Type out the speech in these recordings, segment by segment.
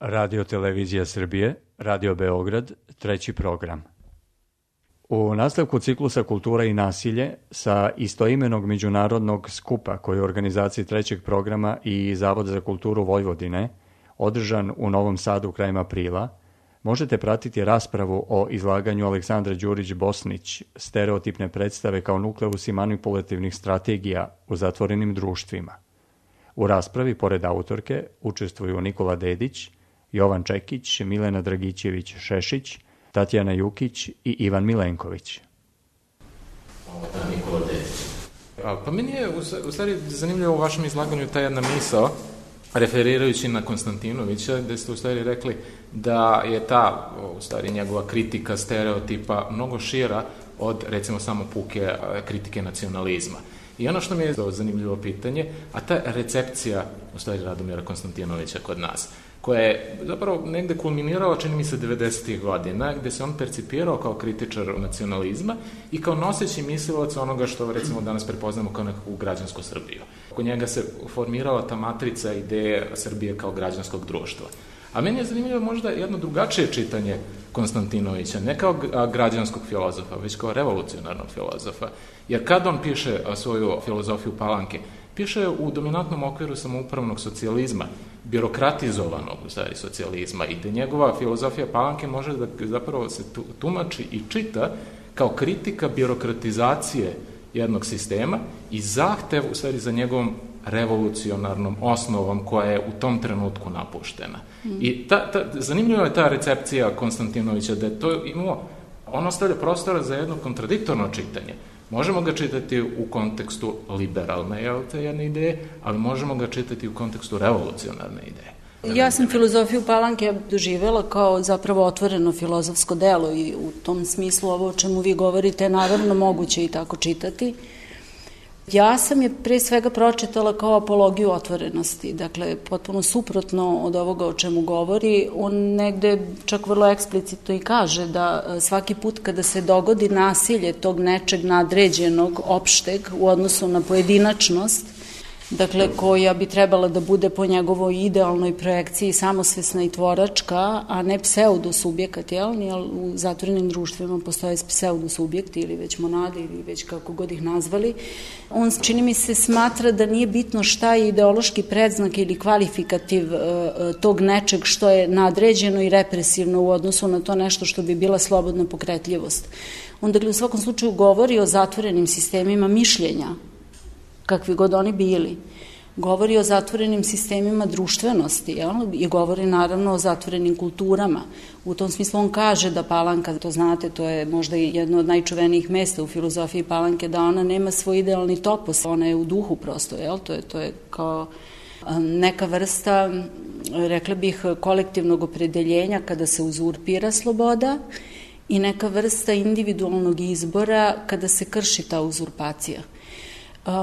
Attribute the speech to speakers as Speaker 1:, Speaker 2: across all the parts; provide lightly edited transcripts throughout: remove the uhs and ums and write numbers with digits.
Speaker 1: Radio Televizija Srbije, Radio Beograd, treći program. U nastavku ciklusa Kultura i nasilje sa istoimenog međunarodnog skupa koji je u organizaciji trećeg programa i Zavod za kulturu Vojvodine, održan u Novom Sadu krajem aprila, možete pratiti raspravu o izlaganju Aleksandra Đurić-Bosnić, stereotipne predstave kao nukleus manipulativnih strategija u zatvorenim društvima. U raspravi, pored autorke, učestvuju Nikola Dedić, Jovan Čekić, Milena Dragićević-Šešić, Tatjana Jukić i Ivan Milenković.
Speaker 2: Nikola Dedić. Pa meni je u stvari zanimljivo u vašem izlaganju ta jedna misao, referirajući na Konstantinovića, gde ste u stvari rekli da je ta, u stvari, njegova kritika stereotipa mnogo šira od, recimo, samo puke kritike nacionalizma. I ono što mi je zanimljivo pitanje, a ta recepcija, u stvari, Radomira Konstantinovića kod nas, koja je zapravo negde kulminirala, čini mi se, 90. godina, gde se on percipirao kao kritičar nacionalizma i kao noseći mislilac onoga što, recimo, danas prepoznamo kao nekakvu građansku Srbiju. Oko njega se formirala ta matrica ideje Srbije kao građanskog društva. A meni je zanimljivo možda jedno drugačije čitanje Konstantinovića, ne kao građanskog filozofa, već kao revolucionarnog filozofa. Jer kad on piše svoju filozofiju Palanke, piše u dominantnom okviru samoupravnog socijalizma, birokratizovanog, u stvari, socijalizma, i da njegova filozofija Palanke može da zapravo se tumači i čita kao kritika birokratizacije jednog sistema i zahtev, u stvari, za njegovom revolucionarnom osnovom koja je u tom trenutku napuštena. I zanimljiva je ta recepcija Konstantinovića, da je to imao, on ostavlja prostora za jedno kontradiktorno čitanje. Možemo ga čitati u kontekstu liberalne, jedne ideje, ali možemo ga čitati u kontekstu revolucionarne ideje.
Speaker 3: Ja sam filozofiju Palanke doživela kao zapravo otvoreno filozofsko delo i u tom smislu ovo o čemu vi govorite je naravno moguće i tako čitati. Ja sam je pre svega pročitala kao apologiju otvorenosti, dakle potpuno suprotno od ovoga o čemu govori. On negde čak vrlo eksplicitno i kaže da svaki put kada se dogodi nasilje tog nečeg nadređenog, opšteg u odnosu na pojedinačnost, dakle koja bi trebala da bude po njegovoj idealnoj projekciji samosvesna i tvoračka, a ne pseudosubjekat, jer u zatvorenim društvima postoje pseudosubjekti ili već monade ili već kako god ih nazvali. On, čini mi se, smatra da nije bitno šta je ideološki predznak ili kvalifikativ tog nečeg što je nadređeno i represivno u odnosu na to nešto što bi bila slobodna pokretljivost. On, dakle, u svakom slučaju govori o zatvorenim sistemima mišljenja, kakvi god oni bili. Govori o zatvorenim sistemima društvenosti, i govori naravno o zatvorenim kulturama. U tom smislu on kaže da Palanka, to znate, to je možda jedno od najčuvenijih mesta u filozofiji Palanke, da ona nema svoj idealni topos, ona je u duhu prosto, to je kao neka vrsta, rekla bih, kolektivnog opredeljenja kada se uzurpira sloboda i neka vrsta individualnog izbora kada se krši ta uzurpacija.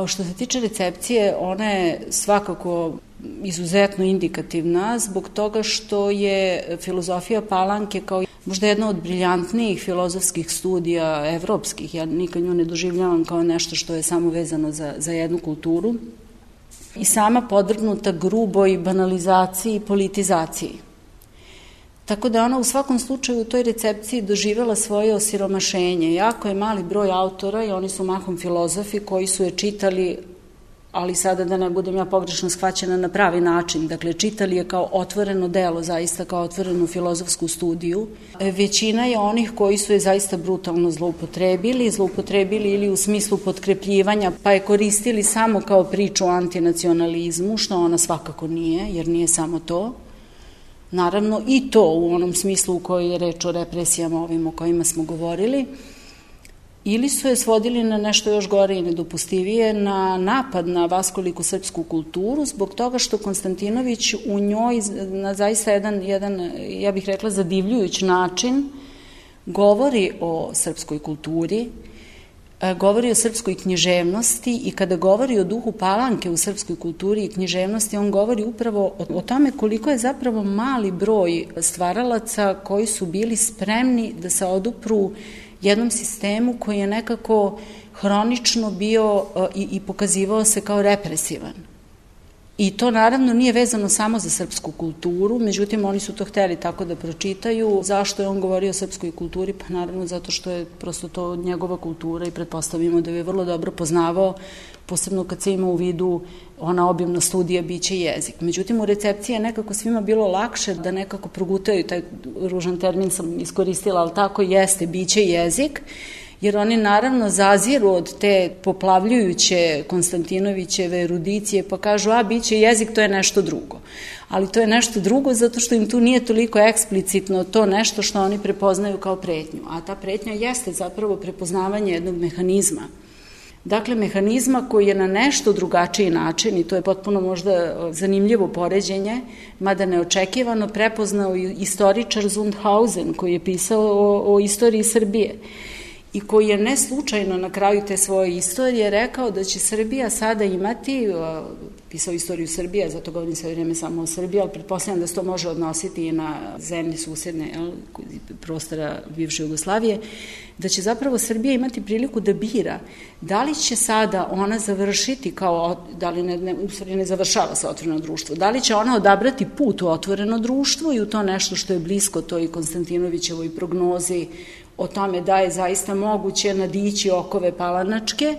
Speaker 3: Što se tiče recepcije, ona je svakako izuzetno indikativna zbog toga što je filozofija Palanke kao možda jedna od briljantnijih filozofskih studija evropskih. Ja nikad nju ne doživljavam kao nešto što je samo vezano za jednu kulturu i sama podvrgnuta gruboj banalizaciji i politizaciji. Tako da ona u svakom slučaju u toj recepciji doživjela svoje osiromašenje. Jako je mali broj autora i oni su mahom filozofi koji su je čitali, ali sada da ne budem ja pogrešno shvaćena, na pravi način. Dakle, čitali je kao otvoreno delo, zaista kao otvorenu filozofsku studiju. Većina je onih koji su je zaista brutalno zloupotrebili ili u smislu potkrepljivanja, pa je koristili samo kao priču o antinacionalizmu, što ona svakako nije, jer nije samo to. Naravno i to u onom smislu u kojoj je reč o represijama ovim o kojima smo govorili, ili su je svodili na nešto još gore i nedopustivije, na napad na vaskoliku srpsku kulturu, zbog toga što Konstantinović u njoj na zaista jedan, ja bih rekla, zadivljujući način govori o srpskoj kulturi, govori o srpskoj književnosti i kada govori o duhu Palanke u srpskoj kulturi i književnosti, on govori upravo o tome koliko je zapravo mali broj stvaralaca koji su bili spremni da se odupru jednom sistemu koji je nekako hronično bio i pokazivao se kao represivan. I to naravno nije vezano samo za srpsku kulturu, međutim oni su to hteli tako da pročitaju. Zašto je on govorio o srpskoj kulturi? Pa naravno zato što je prosto to njegova kultura i pretpostavimo da je vrlo dobro poznavao, posebno kad se ima u vidu ona obimna studija biće i jezik. Međutim, u recepciji je nekako svima bilo lakše da nekako progutaju, taj ružan termin sam iskoristila, ali tako jeste, biće i jezik, jer oni naravno zaziru od te poplavljujuće Konstantinovićeve erudicije pa kažu, biće jezik, to je nešto drugo. Ali to je nešto drugo zato što im tu nije toliko eksplicitno to nešto što oni prepoznaju kao pretnju. A ta pretnja jeste zapravo prepoznavanje jednog mehanizma. Dakle, mehanizma koji je na nešto drugačiji način, i to je potpuno možda zanimljivo poređenje, mada neočekivano, prepoznao istoričar Zundhausen koji je pisao o istoriji Srbije i koji je ne slučajno na kraju te svoje istorije rekao da će Srbija sada imati, pisao istoriju Srbije, zato govorim sve vrijeme samo o Srbiji, ali pretpostavljam da se to može odnositi i na zemlje susedne prostora bivše Jugoslavije, da će zapravo Srbija imati priliku da bira da li će sada ona završiti kao, da li ne završava se otvoreno društvo, da li će ona odabrati put u otvoreno društvo i u to nešto što je blisko toj Konstantinovićevoj prognozi o tome da je zaista moguće nadići okove palanačke,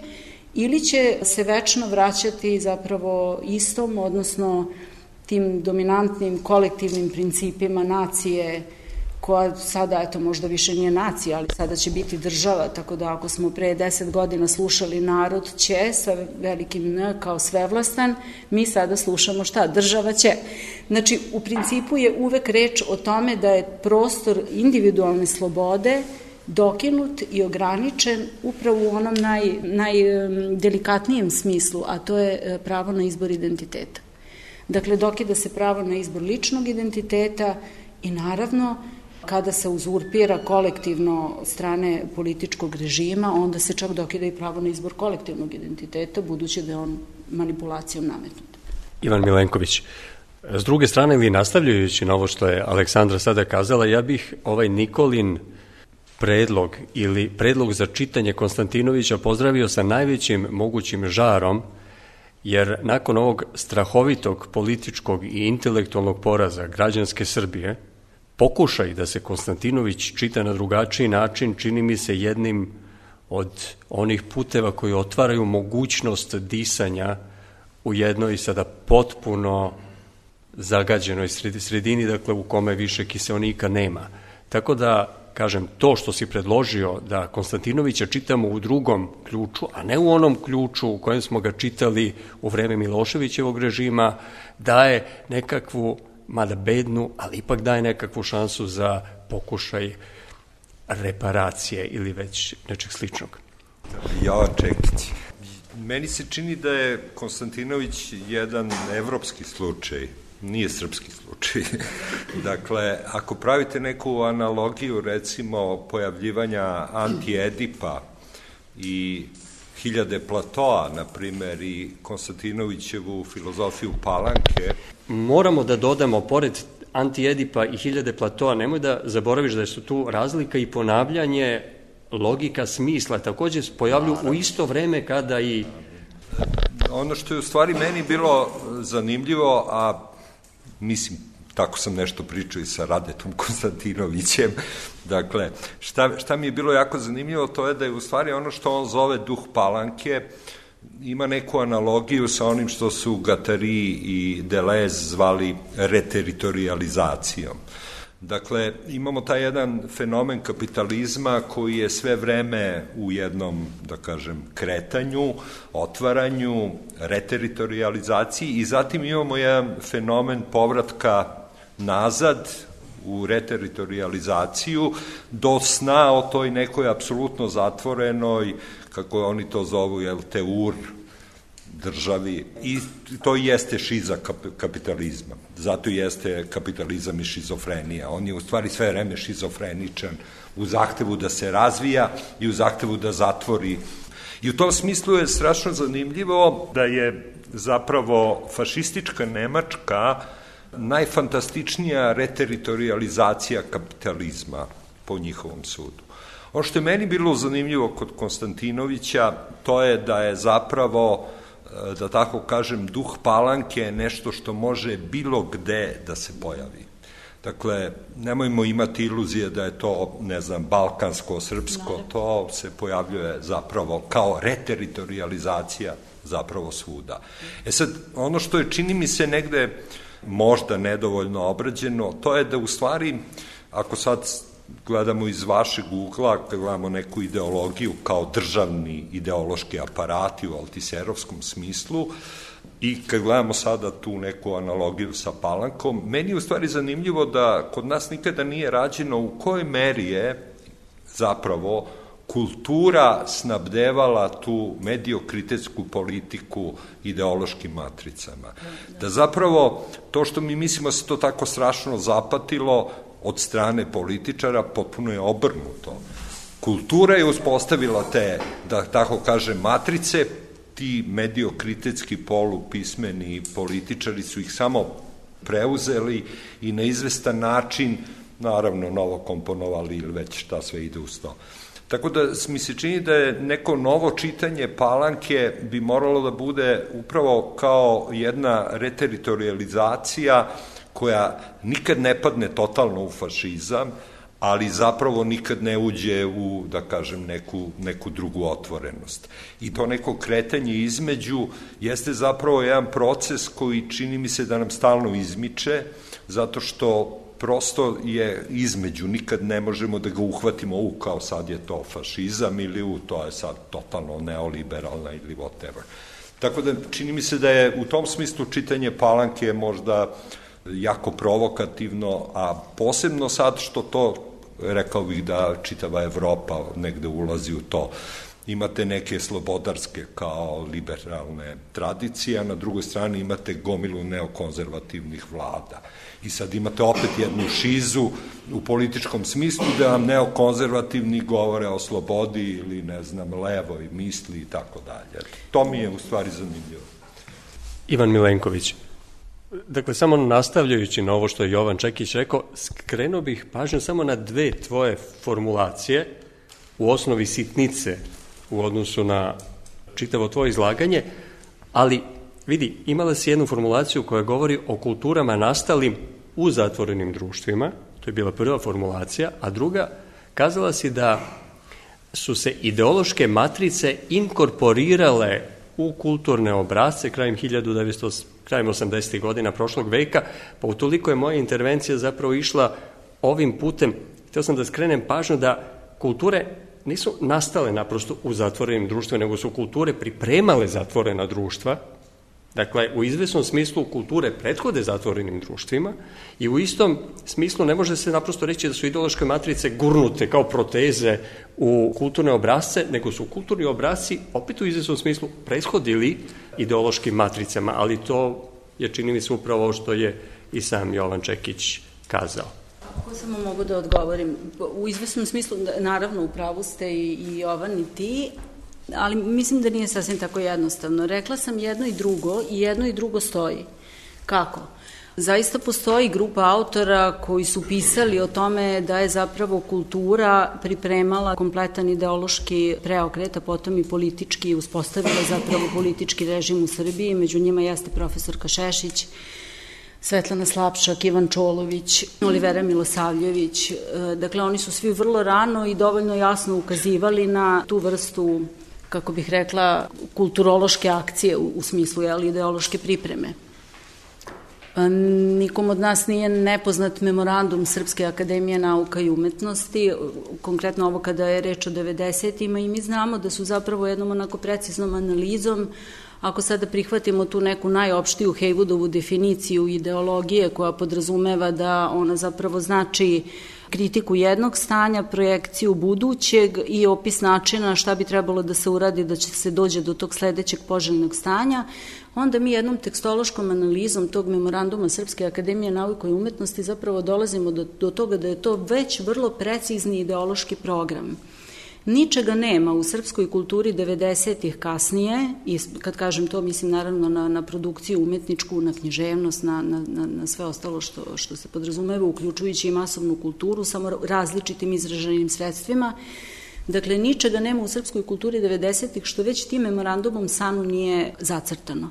Speaker 3: ili će se večno vraćati zapravo istom, odnosno tim dominantnim kolektivnim principima nacije, koja sada, eto, možda više nije nacija, ali sada će biti država, tako da ako smo pre 10 godina slušali narod će, sa velikim N kao svevlastan, mi sada slušamo šta? Država će. Znači, u principu je uvek reč o tome da je prostor individualne slobode dokinut i ograničen upravo u onom najdelikatnijem smislu, a to je pravo na izbor identiteta. Dakle, dokida se pravo na izbor ličnog identiteta i naravno kada se uzurpira kolektivno strane političkog režima, onda se čak dokida i pravo na izbor kolektivnog identiteta, budući da je on manipulacijom nametnut.
Speaker 1: Ivan Milenković, s druge strane, ili nastavljajući na ovo što je Aleksandra sada kazala, ja bih ovaj Nikolin predlog ili predlog za čitanje Konstantinovića pozdravio sa najvećim mogućim žarom, jer nakon ovog strahovitog političkog i intelektualnog poraza građanske Srbije, pokušaj da se Konstantinović čita na drugačiji način čini mi se jednim od onih puteva koji otvaraju mogućnost disanja u jednoj sada potpuno zagađenoj sredini, dakle u kome više kiseonika nema. Tako da, kažem, to što si predložio da Konstantinovića čitamo u drugom ključu, a ne u onom ključu u kojem smo ga čitali u vreme Miloševićevog režima, daje nekakvu, mada bednu, ali ipak daje nekakvu šansu za pokušaj reparacije ili već nečeg sličnog.
Speaker 4: Jovan Čekić. Meni se čini da je Konstantinović jedan evropski slučaj, nije srpski slučaj. Dakle, ako pravite neku analogiju, recimo, pojavljivanja Anti-Edipa i Hiljade Platoa, na primer, i Konstantinovićevu filozofiju Palanke.
Speaker 1: Moramo da dodamo, pored Anti-Edipa i Hiljade Platoa, nemoj da zaboraviš da su tu razlika i ponavljanje logika smisla, takođe pojavlju u isto vreme kada i...
Speaker 4: Ono što je u stvari meni bilo zanimljivo, a mislim, tako sam nešto pričao i sa Radetom Konstantinovićem, dakle, šta mi je bilo jako zanimljivo, to je da je u stvari ono što on zove duh Palanke, ima neku analogiju sa onim što su Guattari i Deleuze zvali reteritorializacijom. Dakle, imamo taj jedan fenomen kapitalizma koji je sve vreme u jednom, da kažem, kretanju, otvaranju, reteritorializaciji i zatim imamo jedan fenomen povratka nazad u reteritorializaciju do sna o toj nekoj apsolutno zatvorenoj, kako oni to zovu, teur, državi, i to jeste šiza kapitalizma. Zato jeste kapitalizam i šizofrenija. On je u stvari sve vreme šizofreničan u zahtevu da se razvija i u zahtevu da zatvori. I u tom smislu je strašno zanimljivo da je zapravo fašistička Nemačka najfantastičnija reteritorializacija kapitalizma po njihovom sudu. Ono što je meni bilo zanimljivo kod Konstantinovića, to je da je zapravo da tako kažem, duh Palanke je nešto što može bilo gde da se pojavi. Dakle, nemojmo imati iluzije da je to, ne znam, balkansko, srpsko, to se pojavljuje zapravo kao reteritorializacija zapravo svuda. Sad, ono što je, čini mi se, negde možda nedovoljno obrađeno, to je da u stvari, ako sad gledamo iz vašeg ugla, kad gledamo neku ideologiju kao državni ideološki aparati u altiserovskom smislu, i kad gledamo sada tu neku analogiju sa Palankom, meni je u stvari zanimljivo da kod nas nikada nije rađeno u kojoj meri je zapravo kultura snabdevala tu mediokritetsku politiku ideološkim matricama. Da zapravo to što mi mislimo se to tako strašno zapatilo od strane političara, potpuno je obrnuto. Kultura je uspostavila te, da tako kažem, matrice, ti mediokritetski polupismeni političari su ih samo preuzeli i na izvestan način, naravno, novo komponovali ili već šta sve ide uz to. Tako da mi se čini da je neko novo čitanje Palanke bi moralo da bude upravo kao jedna reteritorializacija koja nikad ne padne totalno u fašizam, ali zapravo nikad ne uđe u, da kažem, neku drugu otvorenost. I to neko kretanje između jeste zapravo jedan proces koji čini mi se da nam stalno izmiče, zato što prosto je između, nikad ne možemo da ga uhvatimo kao sad je to fašizam ili to je sad totalno neoliberalna ili whatever. Tako da čini mi se da je u tom smislu čitanje Palanke možda jako provokativno, a posebno sad što to, rekao bih da čitava Evropa negde ulazi u to. Imate neke slobodarske kao liberalne tradicije, a na drugoj strani imate gomilu neokonzervativnih vlada. I sad imate opet jednu šizu u političkom smislu da vam neokonzervativni govore o slobodi ili, ne znam, levoj misli i tako dalje. To mi je u stvari zanimljivo.
Speaker 1: Ivan Milenković. Dakle, samo nastavljajući na ovo što je Jovan Čekić rekao, skrenuo bih pažnju samo na dve tvoje formulacije, u osnovi sitnice u odnosu na čitavo tvoje izlaganje, ali vidi, imala si jednu formulaciju koja govori o kulturama nastalim u zatvorenim društvima, to je bila prva formulacija, a druga, kazala si da su se ideološke matrice inkorporirale u kulturne obrasce krajem 80. godina prošlog veka, pa utoliko je moja intervencija zapravo išla ovim putem. Htio sam da skrenem pažnju da kulture nisu nastale naprosto u zatvorenim društvima, nego su kulture pripremale zatvorena društva. Dakle, u izvesnom smislu kulture prethode zatvorenim društvima i u istom smislu ne može se naprosto reći da su ideološke matrice gurnute kao proteze u kulturne obrasce, nego su kulturni obrasci opet u izvesnom smislu prethodili ideološkim matricama, ali to je, čini mi se, upravo što je i sam Jovan Čekić kazao.
Speaker 3: Ako samo mogu da odgovorim, u izvesnom smislu, naravno, u pravu ste i Jovan i ti, ali mislim da nije sasvim tako jednostavno. Rekla sam jedno i drugo stoji. Kako? Zaista postoji grupa autora koji su pisali o tome da je zapravo kultura pripremala kompletan ideološki preokret, a potom i politički uspostavila zapravo politički režim u Srbiji. Među njima jeste profesorka Šešić, Svetlana Slapšak, Ivan Čolović, Olivera Milosavljević. Dakle, oni su svi vrlo rano i dovoljno jasno ukazivali na tu vrstu, kako bih rekla, kulturološke akcije u smislu ideološke pripreme. Nikom od nas nije nepoznat memorandum Srpske akademije nauka i umetnosti, konkretno ovo kada je reč o 90-ima, i mi znamo da su zapravo jednom onako preciznom analizom, ako sada prihvatimo tu neku najopštiju Hejvudovu definiciju ideologije koja podrazumeva da ona zapravo znači kritiku jednog stanja, projekciju budućeg i opis načina šta bi trebalo da se uradi da će se dođe do tog sledećeg poželjnog stanja, onda mi jednom tekstološkom analizom tog memoranduma Srpske akademije nauka i umetnosti zapravo dolazimo do toga da je to već vrlo precizni ideološki program. Ničega nema u srpskoj kulturi 90-ih kasnije, i kad kažem to mislim naravno na produkciju umetničku, na književnost, na sve ostalo što se podrazumeva, uključujući i masovnu kulturu, samo različitim izraženim sredstvima. Dakle, ničega nema u srpskoj kulturi 90-ih što već tim memorandumom SANU nije zacrtano,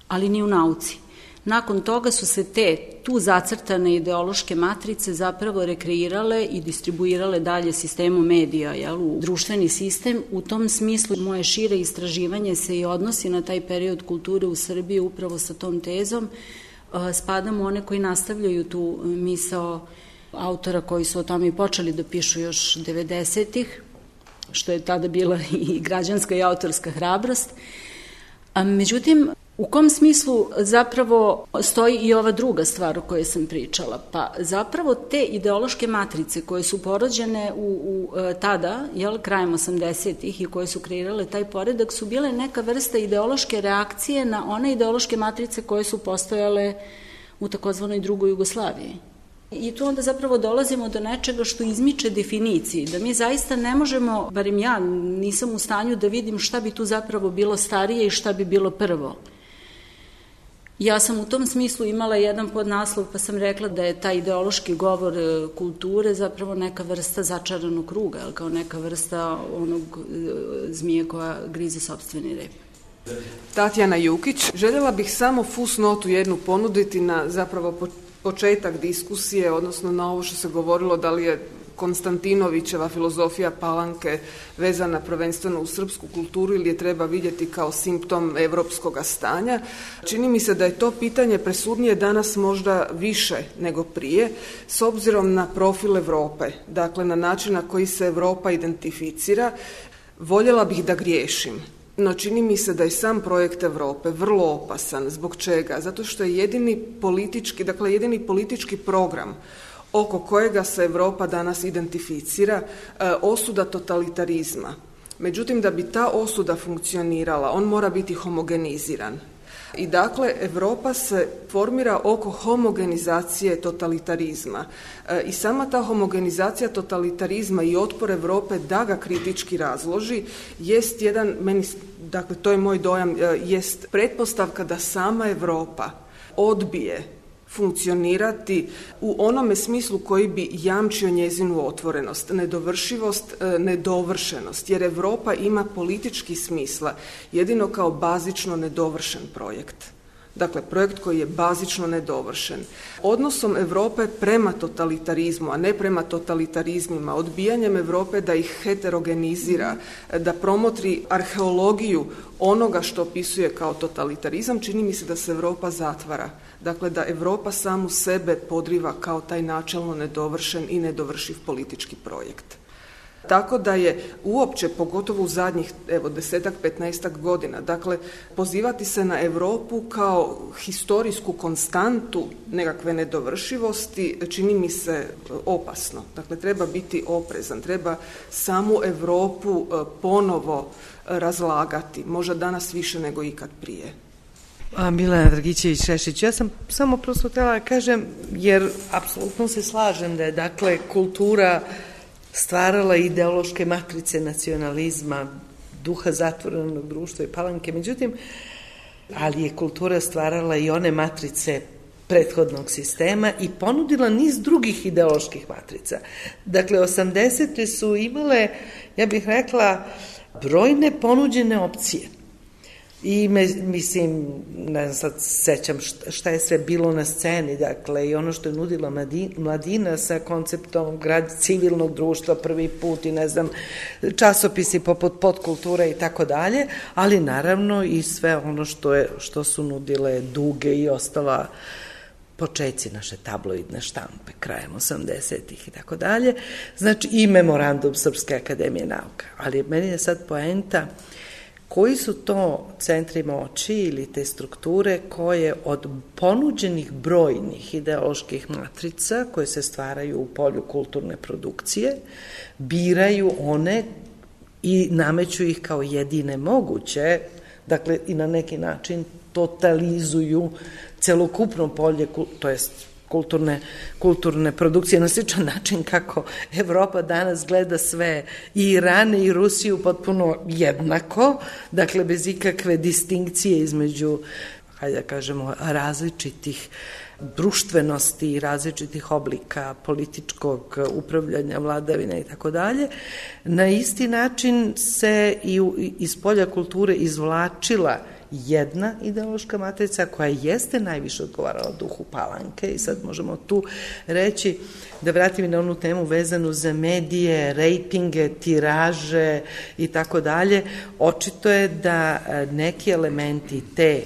Speaker 3: ali ni u nauci. Nakon toga su se tu zacrtane ideološke matrice zapravo rekreirale i distribuirale dalje sistemu medija, u društveni sistem. U tom smislu moje šire istraživanje se i odnosi na taj period kulture u Srbiji upravo sa tom tezom. Spadamo one koji nastavljaju tu misao autora koji su o tome i počeli da pišu još 90-ih, što je tada bila i građanska i autorska hrabrost. Međutim, u kom smislu zapravo stoji i ova druga stvar o kojoj sam pričala? Pa zapravo te ideološke matrice koje su porođene tada, krajem 80-ih i koje su kreirale taj poredak, su bile neka vrsta ideološke reakcije na one ideološke matrice koje su postojale u takozvanoj drugoj Jugoslaviji. I tu onda zapravo dolazimo do nečega što izmiče definiciji, da mi zaista ne možemo, barem ja nisam u stanju da vidim šta bi tu zapravo bilo starije i šta bi bilo prvo. Ja sam u tom smislu imala jedan podnaslov pa sam rekla da je taj ideološki govor kulture zapravo neka vrsta začaranog kruga, kao neka vrsta onog zmije koja grize sopstveni rep.
Speaker 5: Tatjana Jukić, željela bih samo fusnotu jednu ponuditi na zapravo početak diskusije, odnosno na ovo što se govorilo da li je Konstantinovićeva filozofija Palanke vezana prvenstveno u srpsku kulturu ili je treba vidjeti kao simptom evropskog stanja. Čini mi se da je to pitanje presudnije danas možda više nego prije, s obzirom na profil Evrope, dakle na način na koji se Evropa identificira. Voljela bih da griješim. No čini mi se da je sam projekt Evrope vrlo opasan. Zbog čega? Zato što je jedini politički program oko kojega se Evropa danas identificira osuda totalitarizma. Međutim, da bi ta osuda funkcionirala, on mora biti homogeniziran. I dakle, Evropa se formira oko homogenizacije totalitarizma. I sama ta homogenizacija totalitarizma i otpor Evrope da ga kritički razloži jest dakle to je moj dojam, jest pretpostavka da sama Evropa odbije funkcionirati u onome smislu koji bi jamčio njezinu otvorenost, nedovršivost, nedovršenost, jer Evropa ima politički smisla jedino kao bazično nedovršen projekt. Dakle, projekt koji je bazično nedovršen. Odnosom Evrope prema totalitarizmu, a ne prema totalitarizmima, odbijanjem Evrope da ih heterogenizira, da promotri arheologiju onoga što opisuje kao totalitarizam, čini mi se da se Evropa zatvara. Dakle, da Evropa samu sebe podriva kao taj načelno nedovršen i nedovršiv politički projekt. Tako da je uopće, pogotovo u zadnjih 10-15 godina, dakle, pozivati se na Evropu kao historijsku konstantu nekakve nedovršivosti čini mi se opasno. Dakle, treba biti oprezan, treba samu Evropu ponovo razlagati, možda danas više nego ikad prije.
Speaker 6: Milena Dragićević-Šešić, ja sam samo prosto htjela da kažem, jer apsolutno se slažem da je, dakle, kultura stvarala ideološke matrice nacionalizma, duha zatvorenog društva i Palanke, međutim, ali je kultura stvarala i one matrice prethodnog sistema i ponudila niz drugih ideoloških matrica. Dakle, 80. su imale, ja bih rekla, brojne ponuđene opcije. I mislim, ne znam, sad sećam šta je sve bilo na sceni, dakle, i ono što je nudila mladina sa konceptom civilnog društva prvi put i ne znam, časopisi poput Podkultura i tako dalje, ali naravno i sve ono što su nudile Duge i ostala počeci naše tabloidne štampe krajem 80-ih i tako dalje, znači i memorandum Srpske akademije nauka. Ali meni je sad poenta koji su to centri moći ili te strukture koje od ponuđenih brojnih ideoloških matrica koje se stvaraju u polju kulturne produkcije biraju one i nameću ih kao jedine moguće, dakle i na neki način totalizuju celokupno polje, to jest kulturne produkcije na sličan način kako Evropa danas gleda sve i Irane i Rusiju potpuno jednako, dakle bez ikakve distinkcije između, hajde da kažemo, različitih društvenosti, različitih oblika političkog upravljanja, vladavine i tako dalje, na isti način se i iz polja kulture izvlačila jedna ideološka matrica koja jeste najviše odgovarala duhu Palanke i sad možemo tu reći, da vratim i na onu temu vezanu za medije, rejtinge, tiraže i tako dalje. Očito je da neki elementi te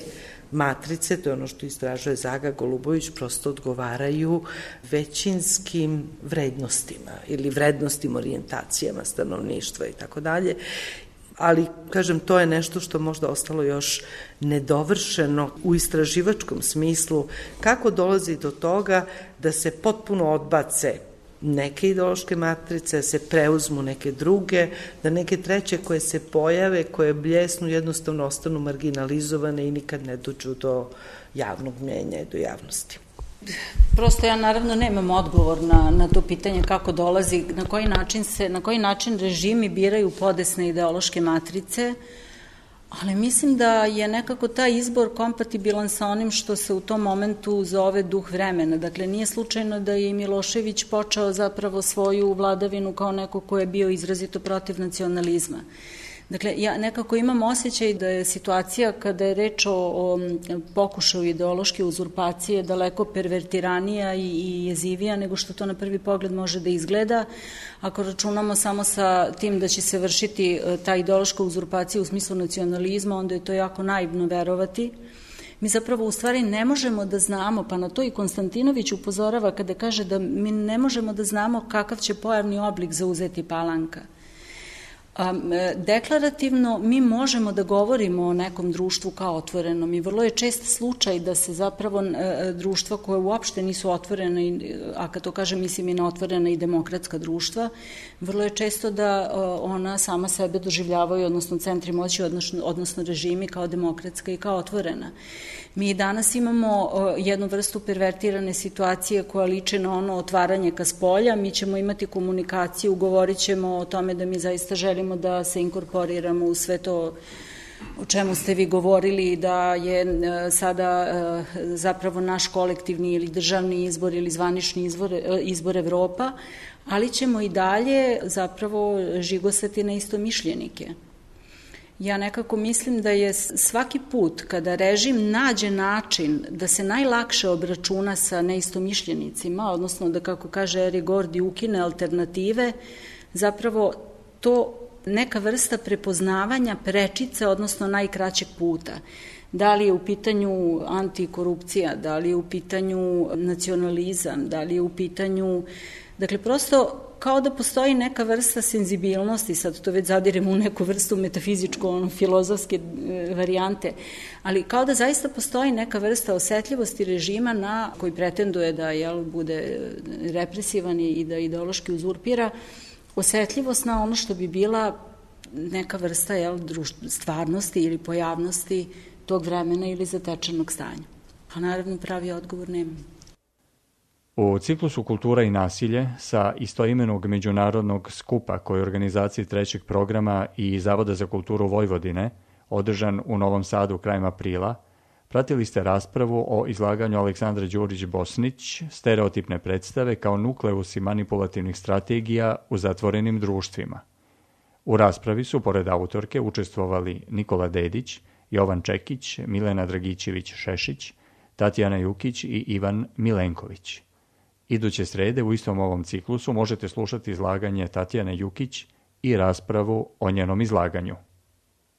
Speaker 6: matrice, to je ono što istražuje Zaga Golubović, prosto odgovaraju većinskim vrednostima ili vrednostim orijentacijama stanovništva i tako dalje. Ali, kažem, to je nešto što možda ostalo još nedovršeno u istraživačkom smislu, kako dolazi do toga da se potpuno odbace neke ideološke matrice, da se preuzmu neke druge, da neke treće koje se pojave, koje bljesnu, jednostavno ostanu marginalizovane i nikad ne dođu do javnog mnjenja i do javnosti.
Speaker 3: Prosto ja naravno nemam odgovor na to pitanje kako dolazi, na koji način režimi biraju podesne ideološke matrice, ali mislim da je nekako taj izbor kompatibilan sa onim što se u tom momentu zove duh vremena. Dakle, nije slučajno da je i Milošević počeo zapravo svoju vladavinu kao neko ko je bio izrazito protiv nacionalizma. Dakle, ja nekako imam osjećaj da je situacija kada je reč o pokušaju ideološke uzurpacije daleko pervertiranija i jezivija nego što to na prvi pogled može da izgleda. Ako računamo samo sa tim da će se vršiti ta ideološka uzurpacija u smislu nacionalizma, onda je to jako naivno verovati. Mi zapravo u stvari ne možemo da znamo, pa na to i Konstantinović upozorava kada kaže da mi ne možemo da znamo kakav će pojavni oblik zauzeti Palanka. Deklarativno mi možemo da govorimo o nekom društvu kao otvorenom i vrlo je čest slučaj da se zapravo društva koje uopšte nisu otvorene, a kad to kažem mislim i na otvorena i demokratska društva, vrlo je često da ona sama sebe doživljavaju, odnosno centri moći, odnosno režimi kao demokratska i kao otvorena. Mi danas imamo jednu vrstu pervertirane situacije koja liči na ono otvaranje ka spolja, mi ćemo imati komunikaciju, govorit ćemo o tome da mi zaista želimo da se inkorporiramo u sve to o čemu ste vi govorili, da je sada zapravo naš kolektivni ili državni izbor ili zvanični izbor Evropa, ali ćemo i dalje zapravo žigosati na istomišljenike. Ja nekako mislim da je svaki put kada režim nađe način da se najlakše obračuna sa neistomišljenicima, odnosno da, kako kaže Eri Gordi, ukine alternative, zapravo to neka vrsta prepoznavanja prečice, odnosno najkraćeg puta. Da li je u pitanju antikorupcija, da li je u pitanju nacionalizam, da li je u pitanju... Dakle, prosto kao da postoji neka vrsta senzibilnosti, sad to već zadiremo u neku vrstu metafizičko-filozofske varijante, ali kao da zaista postoji neka vrsta osetljivosti režima na koji pretenduje da bude represivan i da ideološki uzurpira, osetljivost na ono što bi bila neka vrsta stvarnosti ili pojavnosti tog vremena ili zatečenog stanja. A naravno pravi odgovor nemam.
Speaker 1: U ciklusu Kultura i nasilje sa istoimenog međunarodnog skupa koji je organizaciji trećeg programa i Zavoda za kulturu Vojvodine, održan u Novom Sadu krajem aprila, pratili ste raspravu o izlaganju Aleksandra Đurić-Bosnić, stereotipne predstave kao nukleusi manipulativnih strategija u zatvorenim društvima. U raspravi su, pored autorke, učestvovali Nikola Dedić, Jovan Čekić, Milena Dragićević-Šešić, Tatjana Jukić i Ivan Milenković. Iduće srede u istom ovom ciklusu možete slušati izlaganje Tatjane Jukić i raspravu o njenom izlaganju.